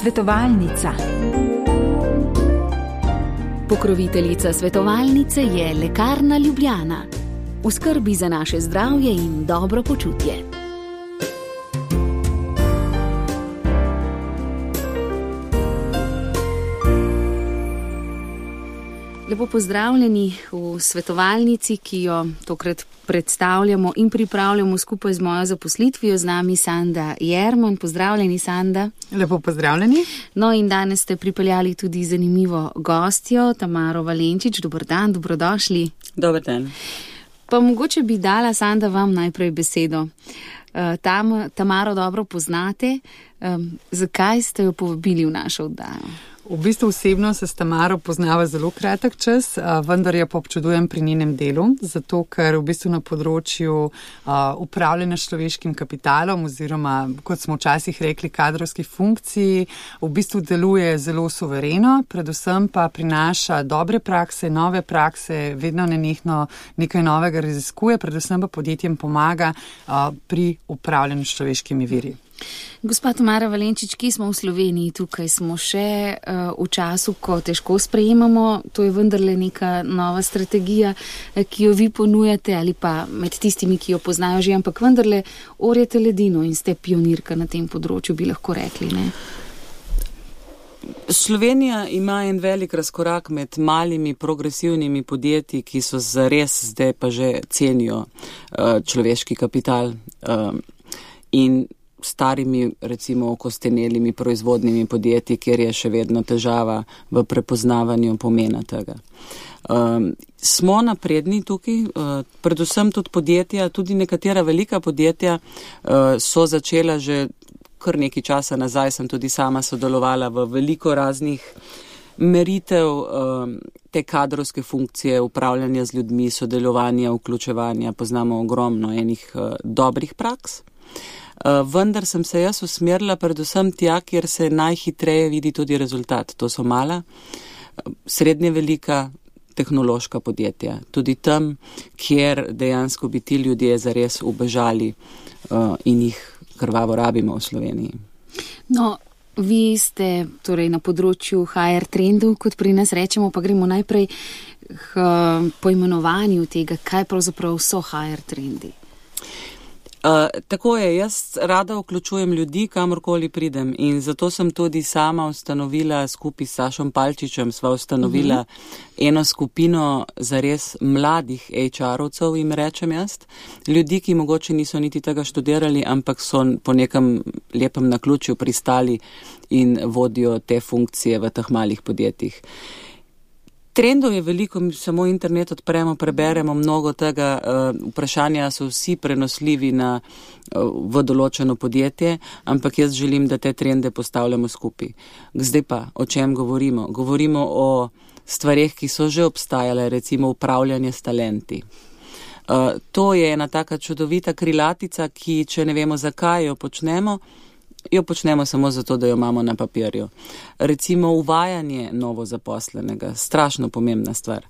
Svetovalnica. Pokroviteljica svetovalnice je Lekarna Ljubljana. V skrbi za naše zdravje in dobro počutje. Lepo pozdravljeni v svetovalnici, ki jo tokrat predstavljamo in pripravljamo skupaj z mojo zaposlitvijo, z nami Sanda Jerman. Pozdravljeni, Sanda. Lepo pozdravljeni. No in danes ste pripeljali tudi zanimivo gostjo, Tamaro Valenčič. Dober dan, dobrodošli. Dober dan. Pa mogoče bi dala, Sanda, vam najprej besedo. Tamaro dobro poznate. Zakaj ste jo povabili v našo oddajo? V bistvu osebno se s Tamaro poznava zelo kratek čas, vendar jo pa občudujem pri njenem delu, zato ker v bistvu na področju upravljanja s človeškim kapitalom oziroma, kot smo včasih rekli, kadrovskih funkcij, v bistvu deluje zelo suvereno, predvsem pa prinaša dobre prakse, nove prakse, vedno nenehno nekaj novega raziskuje, predvsem pa podjetjem pomaga pri upravljanju s človeškimi viri. Gospa Tamara Valenčič, ki smo v Sloveniji, tukaj smo še v času, ko težko sprejemamo, to je vendarle neka nova strategija, ki jo vi ponujate ali pa med tistimi, ki jo poznajo že, ampak vendarle orjete ledino in ste pionirka na tem področju, bi lahko rekli, ne? Slovenija ima en velik razkorak med malimi progresivnimi podjetji, ki so zares zdaj pa že cenijo človeški kapital in starimi, recimo okostenelimi proizvodnimi podjetji, kjer je še vedno težava v prepoznavanju pomena tega. Smo napredni tukaj, predvsem tudi podjetja, tudi nekatera velika podjetja so začela že kar nekaj časa nazaj, sem tudi sama sodelovala v veliko raznih meritev te kadrovske funkcije, upravljanja z ljudmi, sodelovanja, vključevanja, poznamo ogromno enih dobrih praks. Vendar sem se jaz usmerila predvsem tja, kjer se najhitreje vidi tudi rezultat. To so mala, srednje velika tehnološka podjetja. Tudi tam, kjer dejansko bi ti ljudje zares ubežali in jih krvavo rabimo v Sloveniji. No, vi ste torej na področju HR trendov, kot pri nas rečemo, pa gremo najprej k poimenovanju tega, kaj pravzaprav so HR trendi. Tako je, jaz rada vključujem ljudi, kamorkoli pridem in zato sem tudi sama ustanovila, skupaj s Sašom Palčičem sva ustanovila eno skupino zares mladih HR-ovcev, jim rečem jaz, ljudi, ki mogoče niso niti tega študirali, ampak so po nekem lepem naključju pristali in vodijo te funkcije v teh malih podjetjih. Trendov je veliko, mi samo internet odpremo, preberemo mnogo tega, vprašanja so vsi prenosljivi v določeno podjetje, ampak jaz želim, da te trende postavljamo skupaj. Zdaj pa, o čem govorimo? Govorimo o stvareh, ki so že obstajale, recimo upravljanje s talenti. To je ena taka čudovita krilatica, ki, če ne vemo, zakaj jo počnemo samo zato, da jo imamo na papirju. Recimo uvajanje novo zaposlenega, strašno pomembna stvar.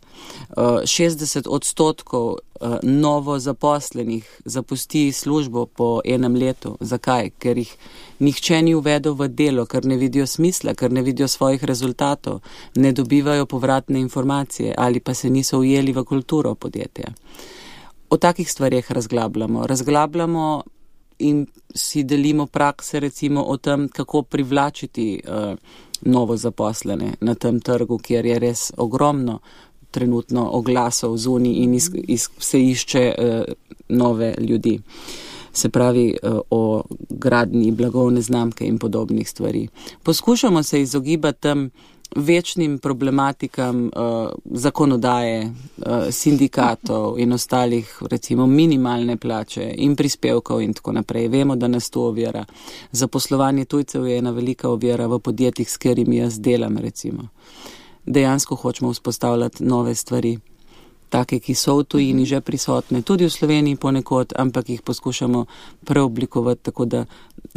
60% novo zaposlenih zapusti službo po enem letu. Zakaj? Ker jih nihče ni uvedel v delo, ker ne vidijo smisla, ker ne vidijo svojih rezultatov, ne dobivajo povratne informacije ali pa se niso ujeli v kulturo podjetja. O takih stvareh razglabljamo in si delimo prakse recimo o tem, kako privlačiti novo zaposlene na tem trgu, kjer je res ogromno trenutno oglasov zunaj in se išče nove ljudi. Se pravi o gradnji blagovne znamke in podobnih stvari. Poskušamo se izogibati tem večnim problematikam zakonodaje, sindikatov in ostalih, recimo minimalne plače in prispevkov in tako naprej. Vemo, da nas to ovira. Zaposlovanje tujcev je ena velika ovira v podjetjih, s katerimi jaz delam, recimo. Dejansko hočemo vzpostavljati nove stvari, take, ki so v tujini že prisotne, tudi v Sloveniji ponekod, ampak jih poskušamo preoblikovati tako, da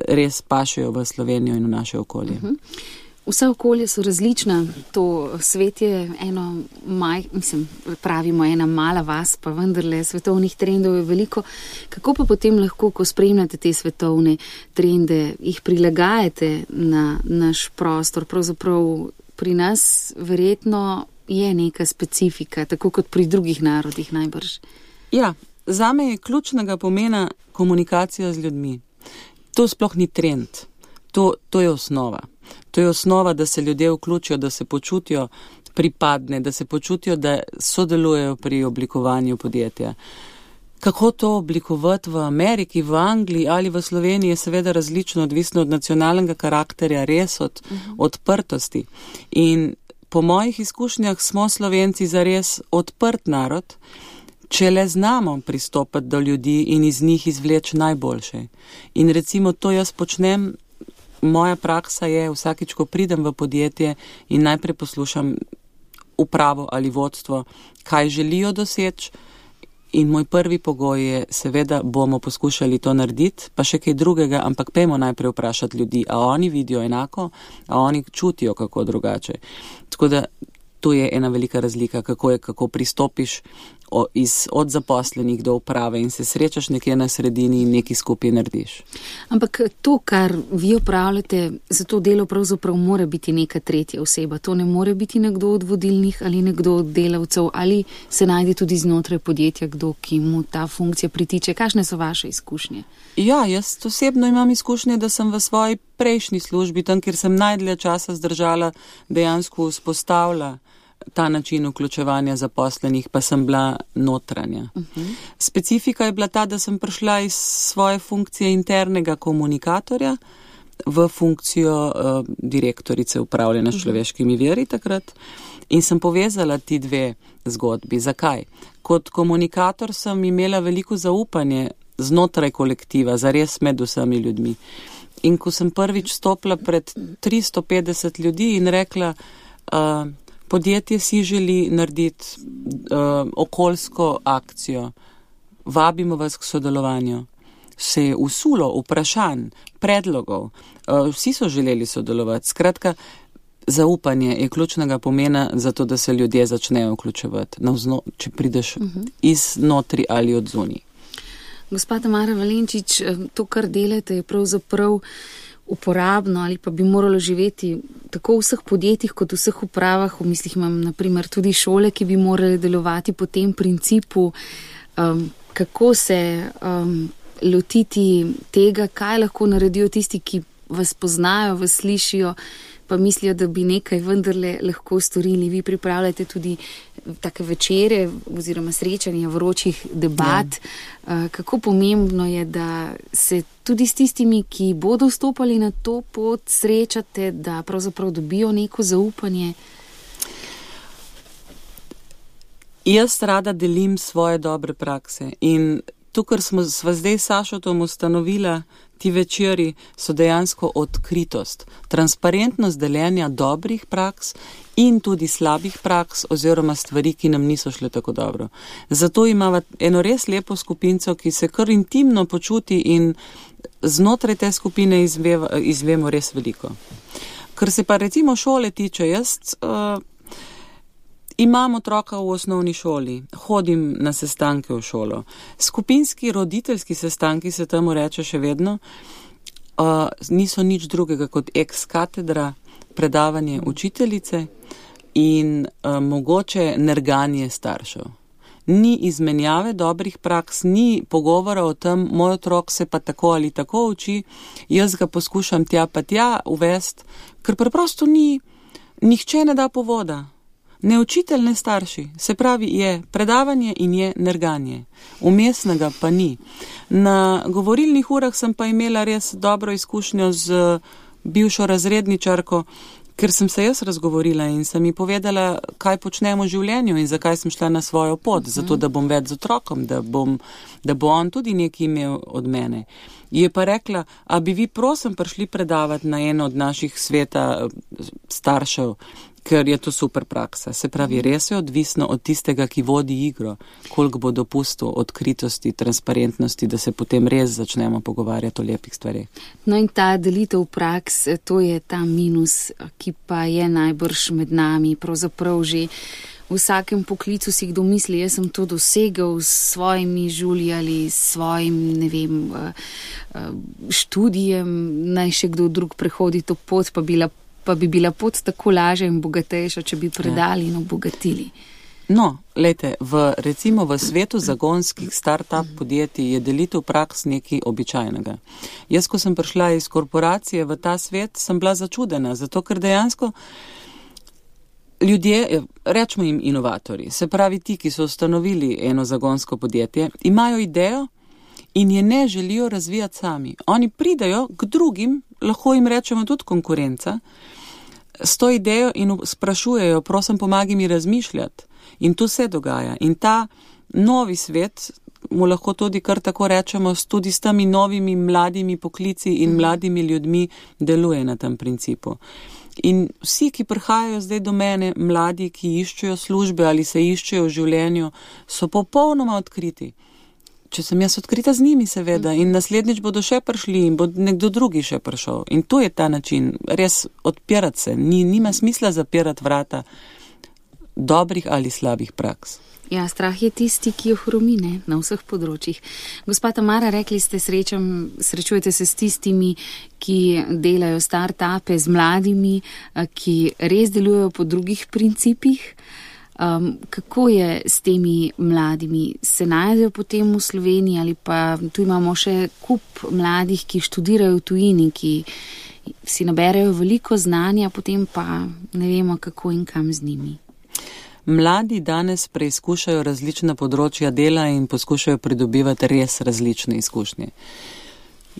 res pašejo v Slovenijo in v naše okolje. V Vse okolje so različna, to svet je pravimo ena mala vas, pa vendarle svetovnih trendov je veliko. Kako pa potem lahko, ko spremljate te svetovne trende, jih prilagajate na naš prostor? Pravzaprav pri nas verjetno je neka specifika, tako kot pri drugih narodih najbrž. Ja, zame je ključnega pomena komunikacija z ljudmi. To sploh ni trend, to je osnova. To je osnova, da se ljudje vključijo, da se počutijo pripadne, da se počutijo, da sodelujejo pri oblikovanju podjetja. Kako to oblikovati v Ameriki, v Angliji ali v Sloveniji je seveda različno, odvisno od nacionalnega karakterja, res od odprtosti. In po mojih izkušnjah smo Slovenci zares odprt narod, če le znamo pristopati do ljudi in iz njih izvleči najboljše. In recimo to jaz počnem. Moja praksa je, vsakič, ko pridem v podjetje in najprej poslušam upravo ali vodstvo, kaj želijo doseči, in moj prvi pogoj je, seveda bomo poskušali to narediti, pa še kaj drugega, ampak pejmo najprej vprašati ljudi, a oni vidijo enako, a oni čutijo kako drugače. Tako da to je ena velika razlika, kako pristopiš od zaposlenih do uprave in se srečaš nekje na sredini in nekaj skupaj narediš. Ampak to, kar vi opravljate, za to delo pravzaprav mora biti neka tretja oseba. To ne more biti nekdo od vodilnih ali nekdo od delavcev, ali se najde tudi znotraj podjetja kdo, ki mu ta funkcija pritiče. Kakšne so vaše izkušnje? Ja, jaz osebno imam izkušnje, da sem v svoji prejšnji službi, tam, kjer sem najdlje časa zdržala, dejansko vzpostavila ta način vključevanja zaposlenih, pa sem bila notranja. Specifika je bila ta, da sem prišla iz svoje funkcije internega komunikatorja v funkcijo direktorice upravljanja s človeškimi viri takrat in sem povezala ti dve zgodbi. Zakaj? Kot komunikator sem imela veliko zaupanje znotraj kolektiva, zares med vsemi ljudmi. In ko sem prvič stopila pred 350 ljudi in rekla, podjetje si želi narediti okoljsko akcijo, vabimo vas k sodelovanju. Se je usulo vprašanj, predlogov, vsi so želeli sodelovati. Skratka, zaupanje je ključnega pomena za to, da se ljudje začnejo vključevati, če prideš iznotri ali od zunaj. Gospa Tamara Valenčič, to, kar delate, je pravzaprav uporabno ali pa bi moralo živeti tako v vseh podjetjih kot v vseh upravah. V mislih imam naprimer tudi šole, ki bi morali delovati po tem principu, kako se lotiti tega, kaj lahko naredijo tisti, ki vas poznajo, vas slišijo, pa mislijo, da bi nekaj vendarle lahko storili. Vi pripravljate tudi take večere oziroma srečanja vročih debat. Kako pomembno je, da se tudi s tistimi, ki bodo vstopali na to pot, srečate, da pravzaprav dobijo neko zaupanje? Jaz rada delim svoje dobre prakse in to, kar sva zdaj s Sašotom ustanovila, ti večeri so dejansko odkritost, transparentnost deljenja dobrih praks in tudi slabih praks oziroma stvari, ki nam niso šle tako dobro. Zato imamo eno res lepo skupinco, ki se kar intimno počuti in znotraj te skupine izvemo res veliko. Kar se pa recimo šole tiče, jaz imam otroka v osnovni šoli, hodim na sestanke v šolo. Skupinski roditeljski sestanki se temu reče še vedno, niso nič drugega kot ex katedra, predavanje učiteljice in mogoče nerganje staršev. Ni izmenjave dobrih praks, ni pogovora o tem, moj otrok se pa tako ali tako uči, jaz ga poskušam tja pa tja uvesti, ker preprosto nihče ne da povoda. Ne učitelj, ne starši. Se pravi, je predavanje in je nerganje. Umestnega pa ni. Na govorilnih urah sem pa imela res dobro izkušnjo z bivšo razredničarko, ker sem se jaz razgovorila in sem ji povedala, kaj počnem v življenju in zakaj sem šla na svojo pot, zato da bom več z otrokom, da bo on tudi nekaj imel od mene. Je pa rekla, a bi vi prosim prišli predavati na eno od naših sveta staršev, ker je to super praksa. Se pravi, res je odvisno od tistega, ki vodi igro, koliko bo dopustil odkritosti, transparentnosti, da se potem res začnemo pogovarjati o lepih stvarih. No in ta delitev praks, to je ta minus, ki pa je najbrž med nami, pravzaprav že v vsakem poklicu si kdo misli, jaz sem to dosegel s svojimi žulji ali s svojim, ne vem, študijem, naj še kdo drug prehodi to pot, pa bi bila pot tako lažja in bogatejša, če bi predali in obogatili. No, lejte, recimo v svetu zagonskih start-up podjetij je delitev praks nekaj običajnega. Jaz, ko sem prišla iz korporacije v ta svet, sem bila začudena, zato ker dejansko ljudje, rečemo jim inovatorji, se pravi ti, ki so ustanovili eno zagonsko podjetje, imajo idejo in je ne želijo razvijati sami. Oni pridajo k drugim, lahko jim rečemo tudi konkurenca, s to idejo in sprašujejo, prosim, pomagi mi razmišljati. In to se dogaja. In ta novi svet, mu lahko tudi kar tako rečemo, tudi s temi novimi mladimi poklici in mladimi ljudmi deluje na tem principu. In vsi, ki prihajajo zdaj do mene, mladi, ki iščejo službe ali se iščejo v življenju, so popolnoma odkriti. Če sem jaz odkrita z njimi, seveda, in naslednjič bodo še prišli in bo nekdo drugi še prišel. In to je ta način, res odpirati se. Nima smisla zapirati vrata dobrih ali slabih praks. Ja, strah je tisti, ki jo hromi, ne, na vseh področjih. Gospa Tamara, rekli ste, srečujete se s tistimi, ki delajo start-upe, z mladimi, ki res delujejo po drugih principih. Kako je s temi mladimi? Se najdejo potem v Sloveniji ali pa tu imamo še kup mladih, ki študirajo v tujini, ki si naberejo veliko znanja, potem pa ne vemo, kako in kam z njimi. Mladi danes preizkušajo različna področja dela in poskušajo pridobivati res različne izkušnje.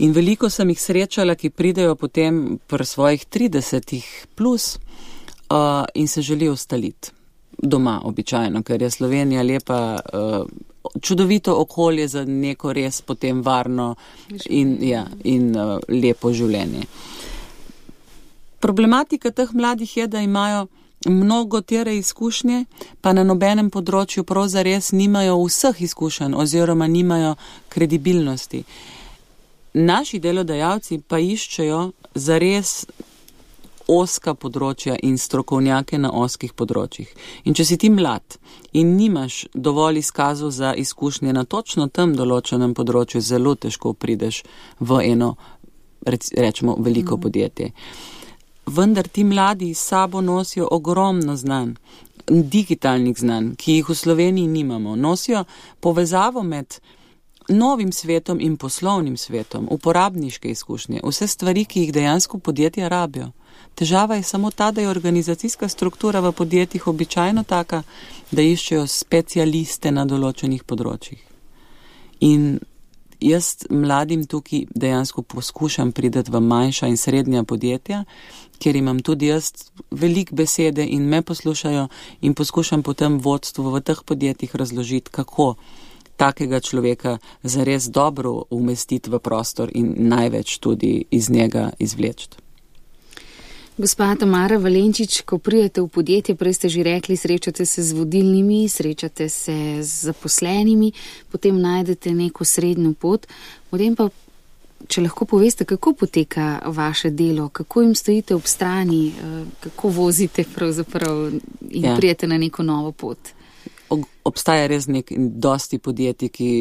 In veliko sem jih srečala, ki pridejo potem pri svojih 30 plus in se želijo ustaliti doma običajno, ker je Slovenija lepa, čudovito okolje za neko res potem varno in lepo življenje. Problematika teh mladih je, da imajo mnogo tere izkušnje, pa na nobenem področju prav zares nimajo vseh izkušenj oziroma nimajo kredibilnosti. Naši delodajalci pa iščejo zares oska področja in strokovnjake na oskih področjih. In če si ti mlad in nimaš dovolj izkazov za izkušnje na točno tem določenem področju, zelo težko prideš v eno, rečemo, veliko podjetje. Vendar ti mladi s sabo nosijo ogromno znanj, digitalnih znanj, ki jih v Sloveniji nimamo. Nosijo povezavo med novim svetom in poslovnim svetom, uporabniške izkušnje, vse stvari, ki jih dejansko podjetja rabijo. Težava je samo ta, da je organizacijska struktura v podjetjih običajno taka, da iščejo specialiste na določenih področjih. In jaz mladim tukaj dejansko poskušam priti v manjša in srednja podjetja, kjer imam tudi jaz veliko besede in me poslušajo in poskušam potem vodstvu v teh podjetjih razložiti, kako takega človeka zares dobro umestiti v prostor in največ tudi iz njega izvleči. Gospa Tamara Valenčič, ko pridete v podjetje, prej ste že rekli, srečate se z vodilnimi, srečate se z zaposlenimi, potem najdete neko srednjo pot. Potem pa, če lahko poveste, kako poteka vaše delo, kako jim stojite ob strani, kako vozite pravzaprav in prijete na neko novo pot? Obstaja res dosti podjetij, ki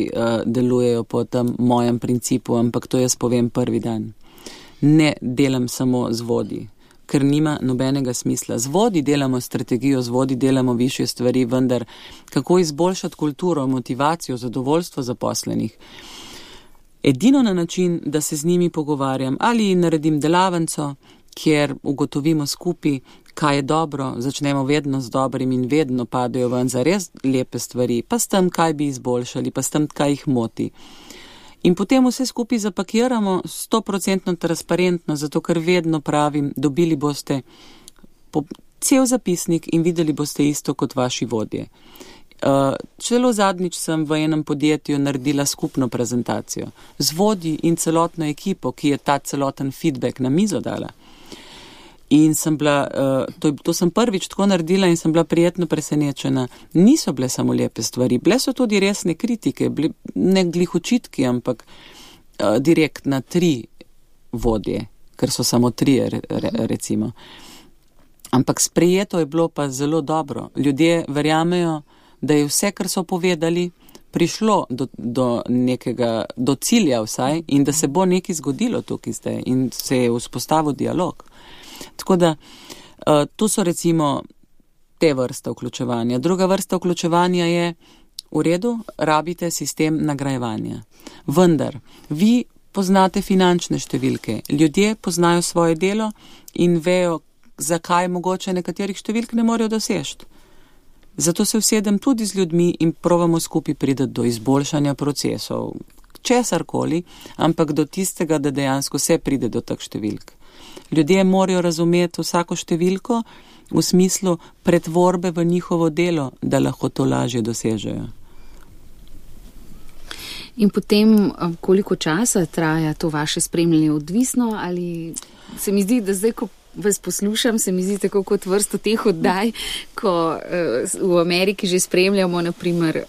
delujejo po tem mojem principu, ampak to jaz povem prvi dan. Ne delam samo z vodji, ker nima nobenega smisla. Z vodji delamo strategijo, z vodji delamo višje stvari, vendar kako izboljšati kulturo, motivacijo, zadovoljstvo zaposlenih. Edino na način, da se z njimi pogovarjam ali naredim delavnico, kjer ugotovimo skupaj, kaj je dobro, začnemo vedno z dobrim in vedno padajo ven za res lepe stvari, pa s tem, kaj bi izboljšali, pa s tem, kaj jih moti. In potem vse skupaj zapakiramo 100% transparentno, zato ker vedno pravim, dobili boste cel zapisnik in videli boste isto kot vaši vodje. Celo zadnjič sem v enem podjetju naredila skupno prezentacijo z vodji in celotno ekipo, ki je ta celoten feedback na mizo dala. In sem bila, to sem prvič tako naredila in sem bila prijetno presenečena. Niso bile samo lepe stvari, bile so tudi resne kritike, ne glih očitki, ampak direkt na 3 vodje, ker so samo 3, recimo. Ampak sprejeto je bilo pa zelo dobro. Ljudje verjamejo, da je vse, kar so povedali, prišlo do cilja vsaj in da se bo nekaj zgodilo tukaj zdaj in se je vzpostavil dialog. Tako da to so recimo te vrste vključevanja. Druga vrsta vključevanja je v redu, rabite sistem nagrajevanja. Vendar, vi poznate finančne številke, ljudje poznajo svoje delo in vejo, zakaj mogoče nekaterih številk ne morejo dosežiti. Zato se usedem tudi z ljudmi in probamo skupaj priti do izboljšanja procesov, česarkoli, ampak do tistega, da dejansko se pride do teh številk. Ljudje morajo razumeti vsako številko v smislu pretvorbe v njihovo delo, da lahko to lažje dosežejo. In potem, koliko časa traja to vaše spremljanje, odvisno ali se mi zdi, da zdaj, ko vas poslušam, se mi zdi tako kot vrsto teh oddaj, ko v Ameriki že spremljamo, naprimer,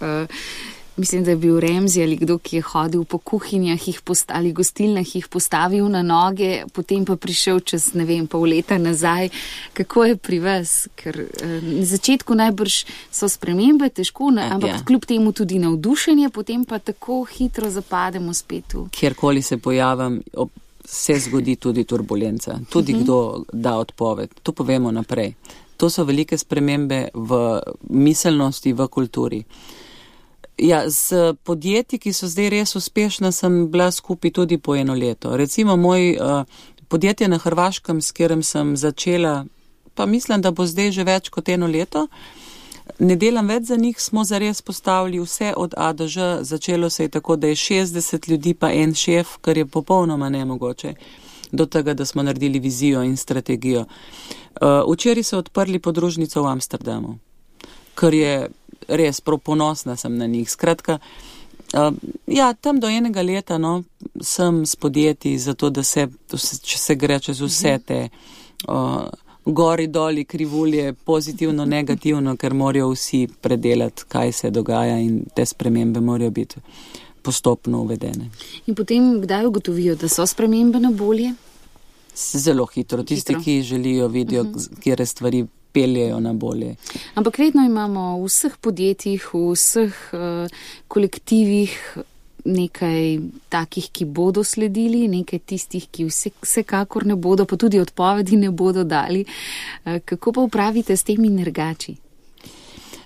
mislim, da je bil Ramsey ali kdo, ki je hodil po kuhinjah ali gostilnah, jih postavil na noge, potem pa prišel čez, ne vem, pol leta nazaj. Kako je pri vas? Ker na začetku najbrž so spremembe, težko, ampak kljub temu tudi navdušenje, potem pa tako hitro zapademo spet v. Kjerkoli se pojavim, se zgodi tudi turbulenca. Tudi kdo da odpoved. To povemo naprej. To so velike spremembe v miselnosti, v kulturi. Ja, z podjetji, ki so zdaj res uspešna, sem bila skupaj tudi po 1 leto. Recimo moj podjetje na Hrvaškem, s katerim sem začela, pa mislim, da bo zdaj že več kot 1 leto, ne delam več za njih, smo zares postavili vse od A do Ž, začelo se je tako, da je 60 ljudi pa en šef, kar je popolnoma nemogoče, do tega, da smo naredili vizijo in strategijo. Včeraj so odprli podružnico v Amsterdamu, kar je res prav ponosna sem na njih. Skratka, ja, tam do 1 leta sem s podjetji, zato da če se gre čez vse te gori, doli, krivulje, pozitivno, negativno, ker morajo vsi predelati, kaj se dogaja in te spremembe morajo biti postopno uvedene. In potem kdaj ugotovijo, da so spremembe na bolje? Zelo hitro. Tisti, ki želijo, vidijo, kjere stvari peljejo na bolje. Ampak vedno imamo v vseh podjetjih, v vseh kolektivih nekaj takih, ki bodo sledili, nekaj tistih, ki vsekakor ne bodo, pa tudi odpovedi ne bodo dali. Kako pa upravite s temi nergači?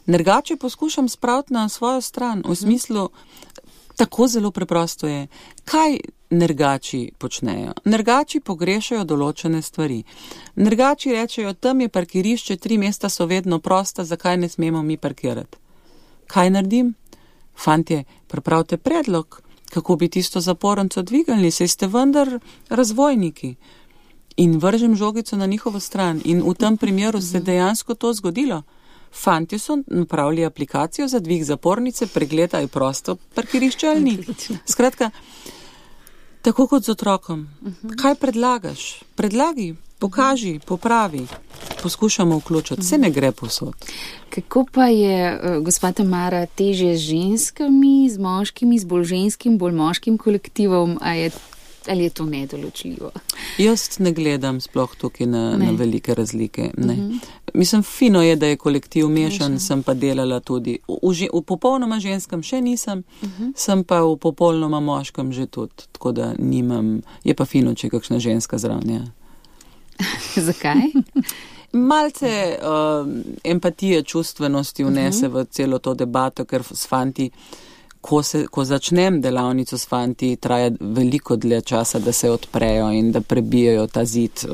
Nergači poskušam spraviti na svojo stran, v smislu, tako zelo preprosto je. Kaj nergači počnejo? Nergači pogrešajo določene stvari. Nergači rečejo, tam je parkirišče, 3 mesta so vedno prosta, zakaj ne smemo mi parkirati? Kaj naredim? Fantje, pripravite predlog, kako bi tisto zapornico dvigali, saj ste vendar razvojniki. In vržem žogico na njihovo stran. In v tem primeru se dejansko to zgodilo. Fantje so napravili aplikacijo za dvig zapornice, pregledaj prosto parkirišče ali ni. Skratka, tako kot z otrokom. Kaj predlagaš? Predlagi, pokaži, popravi. Poskušamo vključiti. Vse ne gre povsod. Kako pa je, gospa Tamara, težje z ženskami, z moškimi, z bolj ženskim, bolj moškim kolektivom, ali je to nedoločljivo? Jaz ne gledam sploh tukaj na velike razlike. Ne. Mislim, fino je, da je kolektiv mešan, sem pa delala tudi. V popolnoma ženskem še nisem, sem pa v popolnoma moškem že tudi, tako da nimam, je pa fino, če je kakšna ženska zraven. Ja. Zakaj? Malce empatije, čustvenosti vnese v celo to debato, ker s fanti, ko začnem delavnico s fanti, traja veliko dlje časa, da se odprejo in da prebijajo ta zid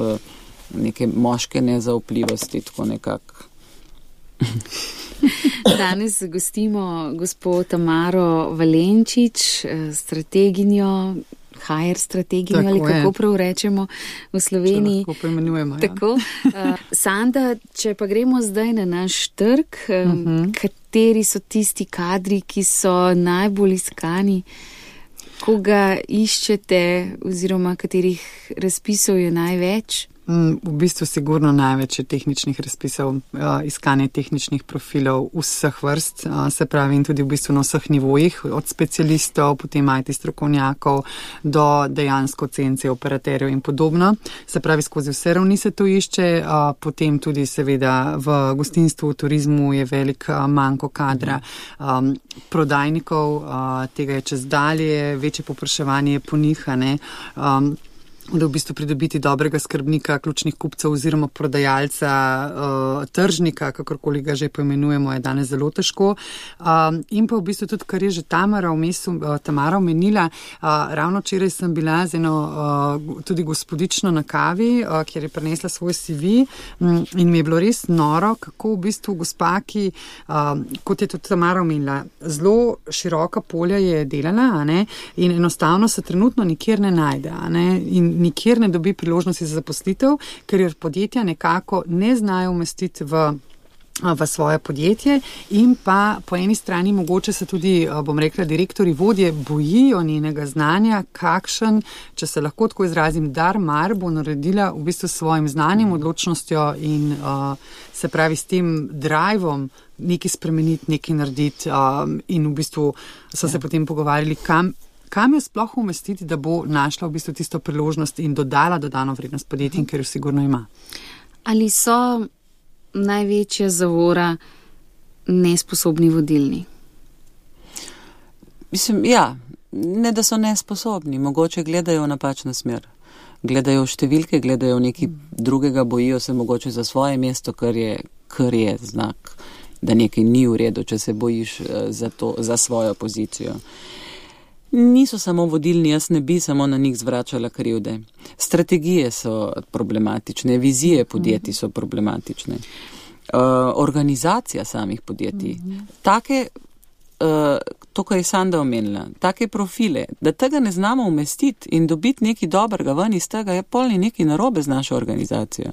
neke moške nezaupljivosti, tako nekako. Danes gostimo gospod Tamaro Valenčič, strateginjo, HR strateginjo, ali kako prav rečemo v Sloveniji. Če lahko poimenujemo, ja. Tako. Sanda, če pa gremo zdaj na naš trg, kateri so tisti kadri, ki so najbolj iskani, koga iščete oziroma katerih razpisov je največ? V bistvu sigurno največ je tehničnih razpisov, iskanje tehničnih profilov vseh vrst, se pravi in tudi v bistvu na vseh nivojih, od specialistov, potem IT strokovnjakov do dejansko cence, operaterjev in podobno. Se pravi, skozi vse ravni se to išče, potem tudi seveda v gostinstvu, v turizmu je velik manko kadra, prodajnikov, tega je čez dalje, večje povpraševanje po njih, da v bistvu pridobiti dobrega skrbnika, ključnih kupcev oziroma prodajalca, tržnika, kakorkoli ga že poimenujemo, je danes zelo težko. In pa v bistvu tudi, kar je že Tamara omenila, ravno včeraj sem bila z eno tudi gospodično na kavi, kjer je prinesla svoj CV in mi je bilo res noro, kako v bistvu gospaki, kot je tudi Tamara omenila, zelo široka polja je delala, in enostavno se trenutno nikjer ne najde, in nikjer ne dobi priložnosti za zaposlitev, ker jo podjetja nekako ne znajo umestiti v svoje podjetje in pa po eni strani mogoče se tudi, bom rekla, direktori, vodje bojijo njenega znanja, kakšen, če se lahko tako izrazim, dar bo naredila v bistvu s svojim znanjem, odločnostjo in se pravi s tem drivom nekaj spremeniti, nekaj narediti in v bistvu so se potem pogovarjali, kam jo sploh umestiti, da bo našla v bistvu tisto priložnost in dodala dodano vrednost podjetjem, ker jo sigurno ima. Ali so največja zavora nesposobni vodilni? Mislim, ja, ne da so nesposobni, mogoče gledajo v napačno smer. Gledajo v številke, gledajo v nekaj drugega, bojijo se mogoče za svoje mesto, kar je znak, da nekaj ni v redu, če se bojiš za svojo pozicijo. Niso samo vodilni, jaz ne bi samo na njih zvračala krivde. Strategije so problematične, vizije podjetij so problematične, organizacija samih podjetij. To, kar je Sanda omenila, take profile, da tega ne znamo umestiti in dobiti nekaj dobrega ven iz tega, je polni nekaj narobe z našo organizacijo.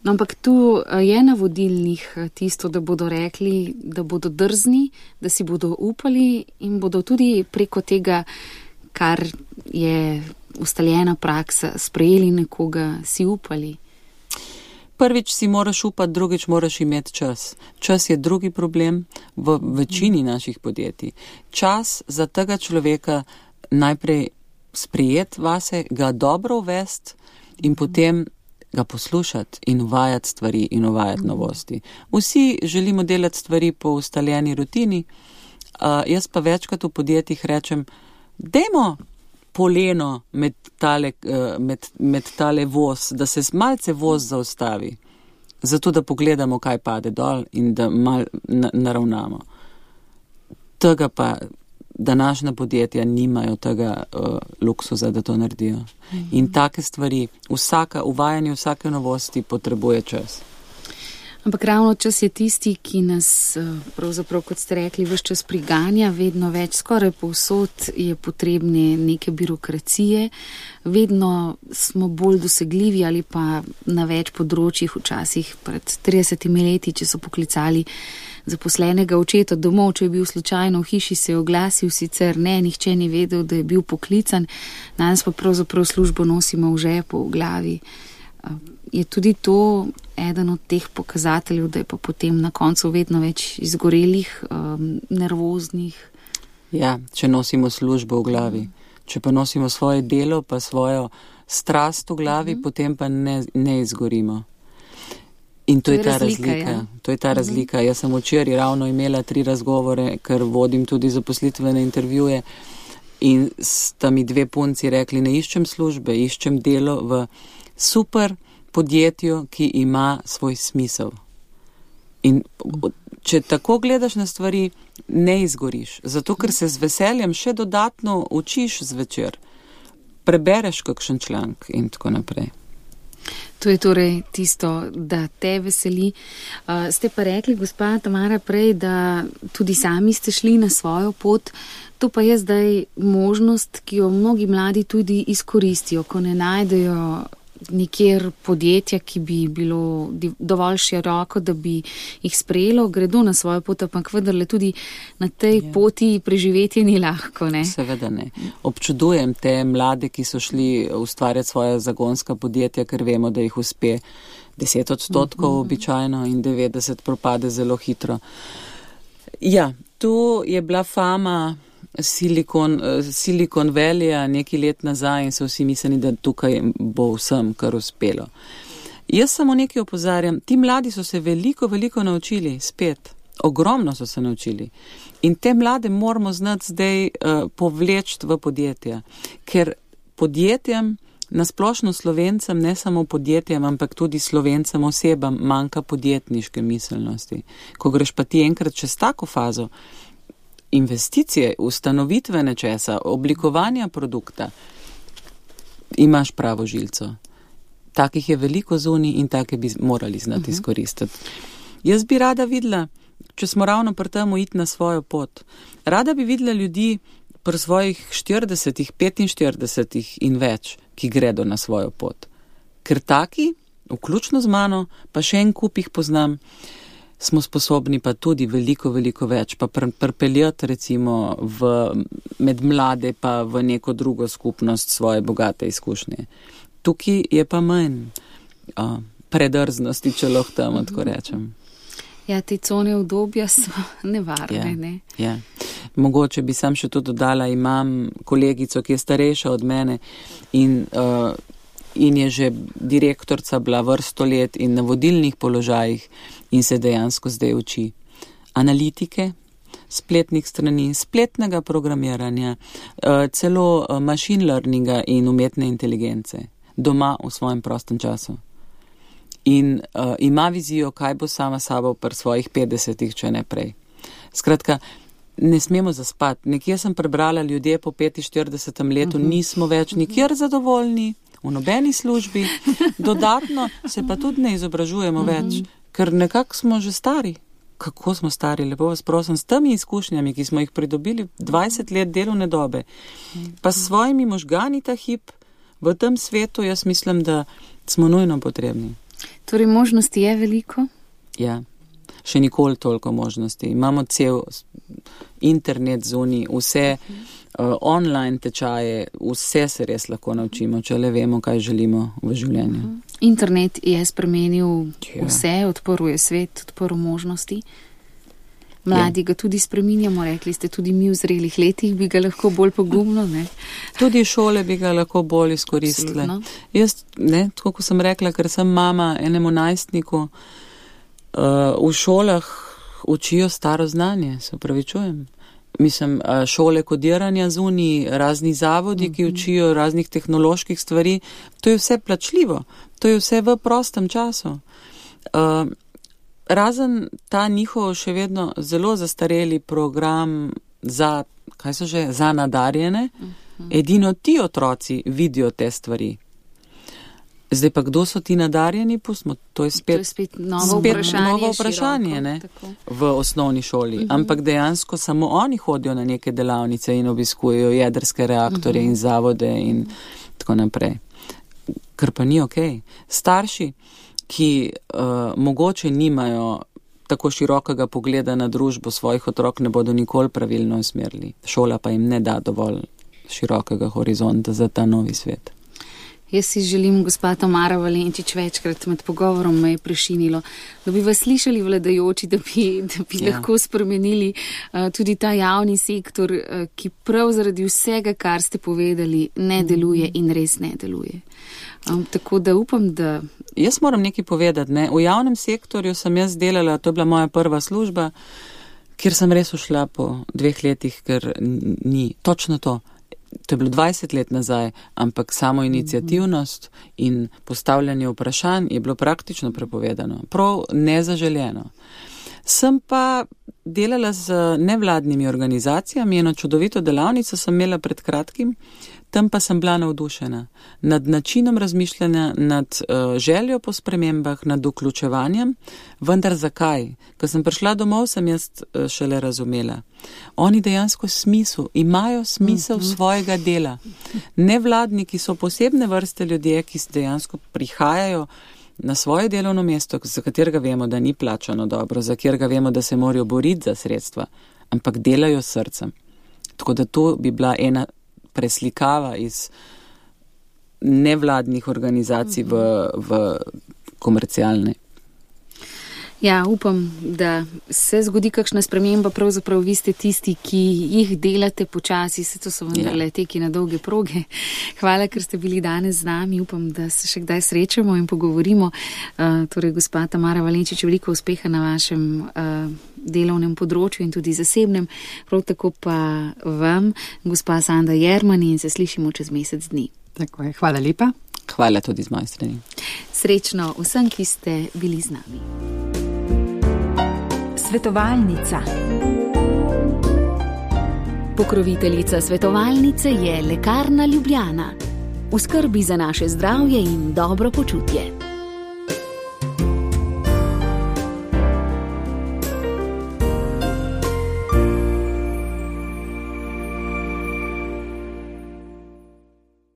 No, ampak tu je na vodilnih tisto, da bodo rekli, da bodo drzni, da si bodo upali in bodo tudi preko tega, kar je ustaljena praksa, sprejeli nekoga, si upali. Prvič si moraš upati, drugič moraš imeti čas. Čas je drugi problem v večini naših podjetij. Čas za tega človeka najprej sprejeti vase, ga dobro uvesti in potem ga poslušati in uvajati stvari in uvajati novosti. Vsi želimo delati stvari po ustaljeni rutini, jaz pa večkrat v podjetjih rečem, dajmo poleno med tale voz, da se malce voz zaustavi, zato da pogledamo, kaj pade dol in da mal naravnamo. Tega pa današnja podjetja nimajo tega luksuza, da to naredijo. In take stvari, uvajanje vsake novosti potrebuje čas. Ampak ravno čas je tisti, ki nas, pravzaprav, kot ste rekli, ves čas priganja, vedno več, skoraj povsod je potrebne neke birokracije, vedno smo bolj dosegljivi ali pa na več področjih, včasih pred 30 leti, če so poklicali zaposlenega očeta domov, če je bil slučajno v hiši, se je oglasil, sicer ne, nihče ni vedel, da je bil poklican, danes pa pravzaprav službo nosimo v žepu, v glavi. Je tudi to eden od teh pokazateljev, da je pa potem na koncu vedno več izgorelih, nervoznih? Ja, če nosimo službo v glavi. Če pa nosimo svoje delo, pa svojo strast v glavi, potem pa ne izgorimo. In to je ta razlika. Ja. To je ta razlika. Jaz sem včeraj ravno imela 3 razgovore, ker vodim tudi zaposlitvene intervjuje in sta mi 2 punci rekli, ne iščem službe, iščem delo v super podjetju, ki ima svoj smisel. In če tako gledaš na stvari, ne izgoriš. Zato, ker se z veseljem še dodatno učiš zvečer. Prebereš kakšen članek in tako naprej. To je torej tisto, da te veseli. Ste pa rekli, gospa Tamara, prej, da tudi sami ste šli na svojo pot. To pa je zdaj možnost, ki jo mnogi mladi tudi izkoristijo, ko ne najdejo nikjer podjetja, ki bi bilo dovolj široko, da bi jih sprejelo, gredo na svojo pot, ampak vendarle tudi na tej poti preživetje ni lahko, ne? Seveda ne. Občudujem te mlade, ki so šli ustvarjati svoja zagonska podjetja, ker vemo, da jih uspe 10% običajno in 90% propade zelo hitro. Ja, tu je bila fama Silicon Valleyja nekaj let nazaj in so vsi mislili, da tukaj bo vsem kar uspelo. Jaz samo nekaj opozarjam, ti mladi so se veliko naučili spet, ogromno so se naučili in te mlade moramo znati zdaj povleči v podjetja, ker podjetjem, nasplošno Slovencem, ne samo podjetjem, ampak tudi Slovencem osebam manjka podjetniške miselnosti. Ko greš pa ti enkrat čez tako fazo, investicije, ustanovitve nečesa, oblikovanja produkta, imaš pravo žilco. Takih je veliko zunaj in take bi morali znati izkoristiti. Jaz bi rada videla, če smo ravno pri temu iti na svojo pot, rada bi videla ljudi pri svojih 40, 45 in več, ki gredo na svojo pot. Ker taki, vključno z mano, pa še en kup jih poznam, smo sposobni pa tudi veliko več, pa pripeljati recimo med mlade pa v neko drugo skupnost svoje bogate izkušnje. Tukaj je pa manj predrznosti, če lahko temu tako rečem. Ja, te cone udobja so nevarne, ne? Ja. Mogoče bi sam še to dodala, imam kolegico, ki je starejša od mene in je že direktorica bila vrsto let in na vodilnih položajih in se dejansko zdaj uči analitike, spletnih strani, spletnega programiranja, celo machine learninga in umetne inteligence doma v svojem prostem času. In ima vizijo, kaj bo sama sabo pri svojih 50-ih, če ne prej. Skratka, ne smemo zaspati. Nekje sem prebrala, ljudje po 45. letu nismo več nikjer zadovoljni, v nobeni službi, dodatno se pa tudi ne izobražujemo več, ker nekako smo že stari. Kako smo stari, lepo vas prosim, s temi izkušnjami, ki smo jih pridobili 20 let delovne dobe, pa s svojimi možgani ta hip v tem svetu, jaz mislim, da smo nujno potrebni. Torej, možnosti je veliko? Ja, še nikoli toliko možnosti. Imamo cel internet zunaj, vse online tečaje, vse se res lahko naučimo, če le vemo, kaj želimo v življenju. Internet je spremenil vse, odprl je svet, odprl možnosti. Mladi ga tudi spreminjamo, rekli ste, tudi mi v zrelih letih bi ga lahko bolj pogumno, ne? Tudi šole bi ga lahko bolj izkoristile. Jaz, ne, tako ko sem rekla, ker sem mama enemu najstniku, v šolah učijo staro znanje, se opravičujem. Mislim, šole kodiranja zunaj, razni zavodi, ki učijo raznih tehnoloških stvari, to je vse plačljivo, to je vse v prostem času. Razen ta njihov še vedno zelo zastareli program za, za nadarjene, edino ti otroci vidijo te stvari. Zdaj pa kdo so ti nadarjeni, pustimo, to je spet novo vprašanje ne, v osnovni šoli. Ampak dejansko samo oni hodijo na neke delavnice in obiskujejo jedrske reaktorje in zavode in tako naprej. Kar pa ni okej. Starši, ki mogoče nimajo tako širokega pogleda na družbo svojih otrok, ne bodo nikoli pravilno usmerili. Šola pa jim ne da dovolj širokega horizonta za ta novi svet. Jaz si želim, gospa Tamara Valenčič, večkrat med pogovorom me je prešinilo, da bi vas slišali vladajoči, da bi lahko spremenili tudi ta javni sektor, ki prav zaradi vsega, kar ste povedali, ne deluje in res ne deluje. Tako da upam, da... Jaz moram nekaj povedati, ne. V javnem sektorju sem jaz delala, to je bila moja prva služba, kjer sem res ušla po 2 letih, ker ni točno to. To je bilo 20 let nazaj, ampak samo iniciativnost in postavljanje vprašanj je bilo praktično prepovedano. Prav nezaželjeno. Sem pa delala z nevladnimi organizacijami, eno čudovito delavnico sem imela pred kratkim. Tam pa sem bila navdušena nad načinom razmišljanja, nad željo po spremembah, nad vključevanjem, vendar zakaj? Ko sem prišla domov, sem jaz šele razumela. Oni dejansko imajo smisel svojega dela. Nevladniki so posebne vrste ljudje, ki dejansko prihajajo na svoje delovno mesto, za katerega vemo, da ni plačano dobro, za katerega vemo, da se morajo boriti za sredstva, ampak delajo s srcem. Tako da to bi bila ena preslikava iz nevladnih organizacij v komercialne. Ja, upam, da se zgodi kakšna sprememba, pravzaprav vi ste tisti, ki jih delate počasi, se to so vendarle teki na dolge proge. Hvala, ker ste bili danes z nami, upam, da se še kdaj srečamo in pogovorimo. Torej, gospa Tamara Valenčič, veliko uspeha na vašem delovnem področju in tudi zasebnem, prav tako pa vam, gospa Sanda Jermani, in se slišimo čez mesec dni. Tako je, hvala lepa. Hvala tudi z moje strani. Srečno vsem, ki ste bili z nami. Svetovalnica. Pokroviteljica svetovalnice je Lekarna Ljubljana. V skrbi za naše zdravje in dobro počutje.